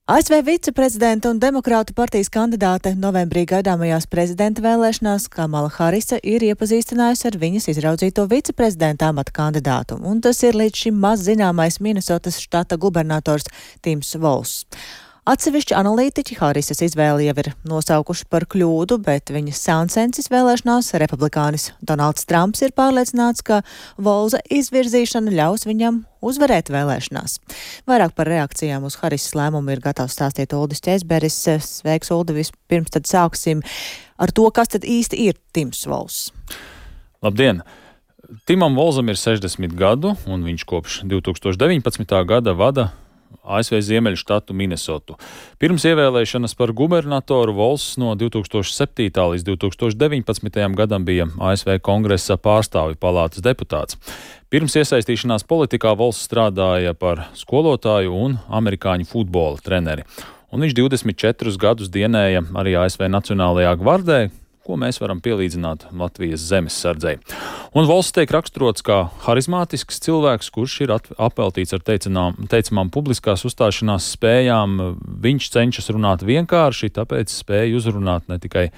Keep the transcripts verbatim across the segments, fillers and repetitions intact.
A S V viceprezidenta un demokrātu partijas kandidāte novembrī gaidāmajās prezidenta vēlēšanās Kamala Harisa ir iepazīstinājusi ar viņas izraudzīto viceprezidenta amata kandidātu, un tas ir līdz šim maz zināmais Minesotas štata gubernators Tims Volss. Atsevišķi analītiķi Harisas izvēli jau ir nosaukuši par kļūdu, bet viņas sāncensis vēlēšanās republikānis Donalds Trumps ir pārliecināts, ka Volsa izvirzīšana ļaus viņam uzvarēt vēlēšanās. Vairāk par reakcijām uz Harisas lēmumu ir gatavs stāstīt Uldis Ķēzberis. Sveiks, Uldi, vispirms tad sāksim ar to, kas tad īsti ir Tims Volss. Labdien! Timam Volsam ir sešdesmit gadu, un viņš kopš divi tūkstoši deviņpadsmitā gada vada A S V Ziemeļu štatu Minesotu. Pirms ievēlēšanas par gubernatoru Volss no divi tūkstoši septītā līdz divi tūkstoši deviņpadsmitajam gadam bija A S V Kongresa pārstāvju palātas deputāts. Pirms iesaistīšanās politikā Volss strādāja par skolotāju un amerikāņu futbola treneri. Un viņš divdesmit četrus gadus dienēja arī A S V Nacionālajā gvardē, ko mēs varam pielīdzināt Latvijas zemessardzei. Un Volss tiek raksturots kā harizmātisks cilvēks, kurš ir apveltīts ar teicinām, teicamām publiskās uzstāšanās spējām. Viņš cenšas runāt vienkārši, tāpēc spēja uzrunāt ne tikai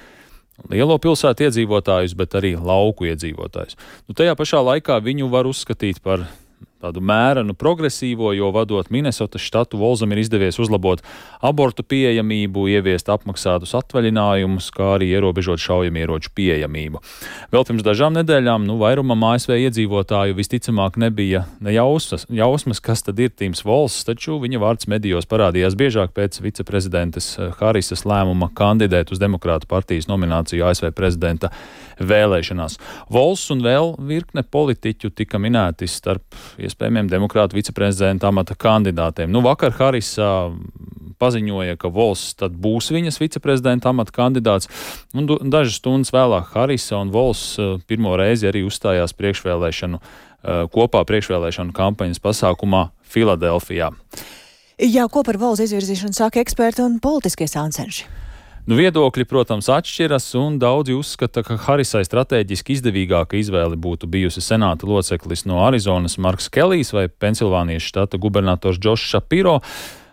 lielo pilsētu iedzīvotājus, bet arī lauku iedzīvotājus. Nu, tajā pašā laikā viņu var uzskatīt par tādu mērenu progresīvo, jo vadot Minesotas štatu, Volsam ir izdevies uzlabot abortu pieejamību, ieviest apmaksātus atvaļinājumus, kā arī ierobežot šaujamieroču pieejamību. Vēl pirms dažām nedēļām, nu, vairumam A S V iedzīvotāju visticamāk nebija ne jausmas, jausmas, kas tad ir Tims Volss, taču viņa vārds medijos parādījās biežāk pēc viceprezidentes Harisas lēmuma kandidēt uz demokrātu partijas nomināciju A S V prezidenta vēlēšanās. Volss un vēl virkne politiķu tika minēti starp iespējamiem demokrātu viceprezidenta amata kandidātiem. Nu, vakar Harisa paziņoja, ka Volss tad būs viņas viceprezidenta amata kandidāts, un dažas stundas vēlāk Harisa un Volss pirmo reizi arī uzstājās priekšvēlēšanu, kopā priekšvēlēšanu kampaņas pasākumā Filadelfijā. Jā, ko par Volsa izvirzīšanu saka eksperti un politiskie sāncenši? Nu, viedokļi, protams, atšķiras, un daudzi uzskata, ka Harisai strateģiski izdevīgāka izvēle būtu bijusi senāta loceklis no Arizonas Marks Kelijs vai Pensilvānijas štata gubernators Džošs Šapiro.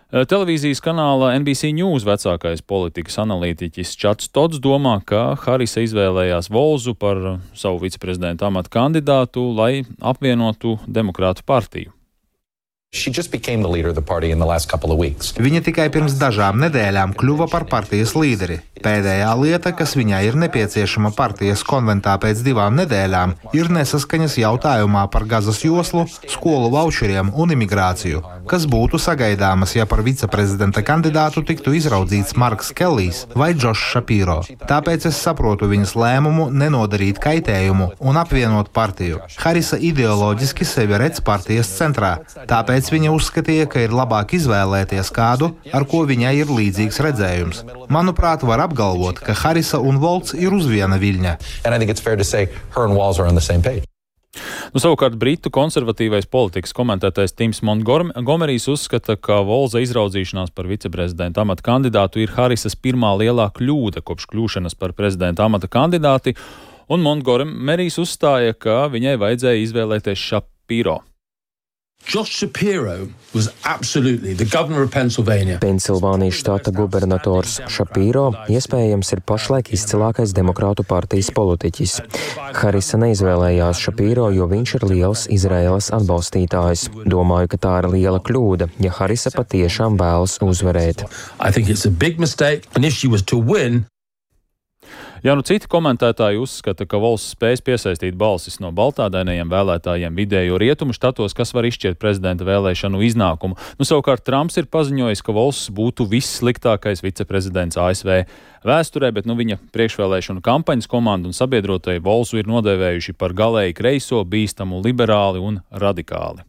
Televīzijas kanāla N B C News vecākais politikas analītiķis Čats Tots domā, ka Harisa izvēlējās Volsu par savu viceprezidenta amata kandidātu, lai apvienotu demokrātu partiju. Viņa tikai pirms dažām nedēļām kļuva par partijas līderi. Pēdējā lieta, kas viņai ir nepieciešama partijas konventā pēc divām nedēļām, ir nesaskaņas jautājumā par Gazas joslu, skolu vaučeriem un imigrāciju, kas būtu sagaidāmas, ja par viceprezidenta kandidātu tiktu izraudzīts Marks Kelijs vai Džošs Šapiro. Tāpēc es saprotu viņas lēmumu nenodarīt kaitējumu un apvienot partiju. Harisa ideoloģiski sevi redz partijas centrā, tāpēc viņa uzskatīja, ka ir labāk izvēlēties kādu, ar ko viņai ir līdzīgs redzējums. Manuprāt, var apgalvot, ka Harisa un Volss ir uz viena viļņa. Nu, savukārt britu konservatīvais politikas komentētājs Tims Montgomerijs uzskata, ka Volsa izraudzīšanās par viceprezidenta amata kandidātu ir Harisas pirmā lielā kļūda kopš kļūšanas par prezidenta amata kandidāti, un Montgomerijs uzstāja, ka viņai vajadzēja izvēlēties Šapiro. Josh Shapiro was absolutely the governor of Pennsylvania. Pensilvānijas štata gubernators Šapiro iespējams ir pašlaik izcilākais demokrātu partijas politiķis. Harisa neizvēlējās Šapiro, jo viņš ir liels Izraēlas atbalstītājs. Domāju, ka tā ir liela kļūda, ja Harisa patiešām vēlas uzvarēt. I think it's a big mistake, and if she was to win, Jā, nu citi komentētāji uzskata, ka Volss spēs piesaistīt balsis no baltādainajiem vēlētājiem vidējo rietumu štatos, kas var izšķirt prezidenta vēlēšanu iznākumu. Nu, savukārt Trumps ir paziņojis, ka Volss būtu vissliktākais viceprezidents A S V vēsturē, bet nu, viņa priekšvēlēšanu kampaņas komanda un sabiedrotāji Volsu ir nodēvējuši par galēji kreiso, bīstamu, liberāli un radikāli.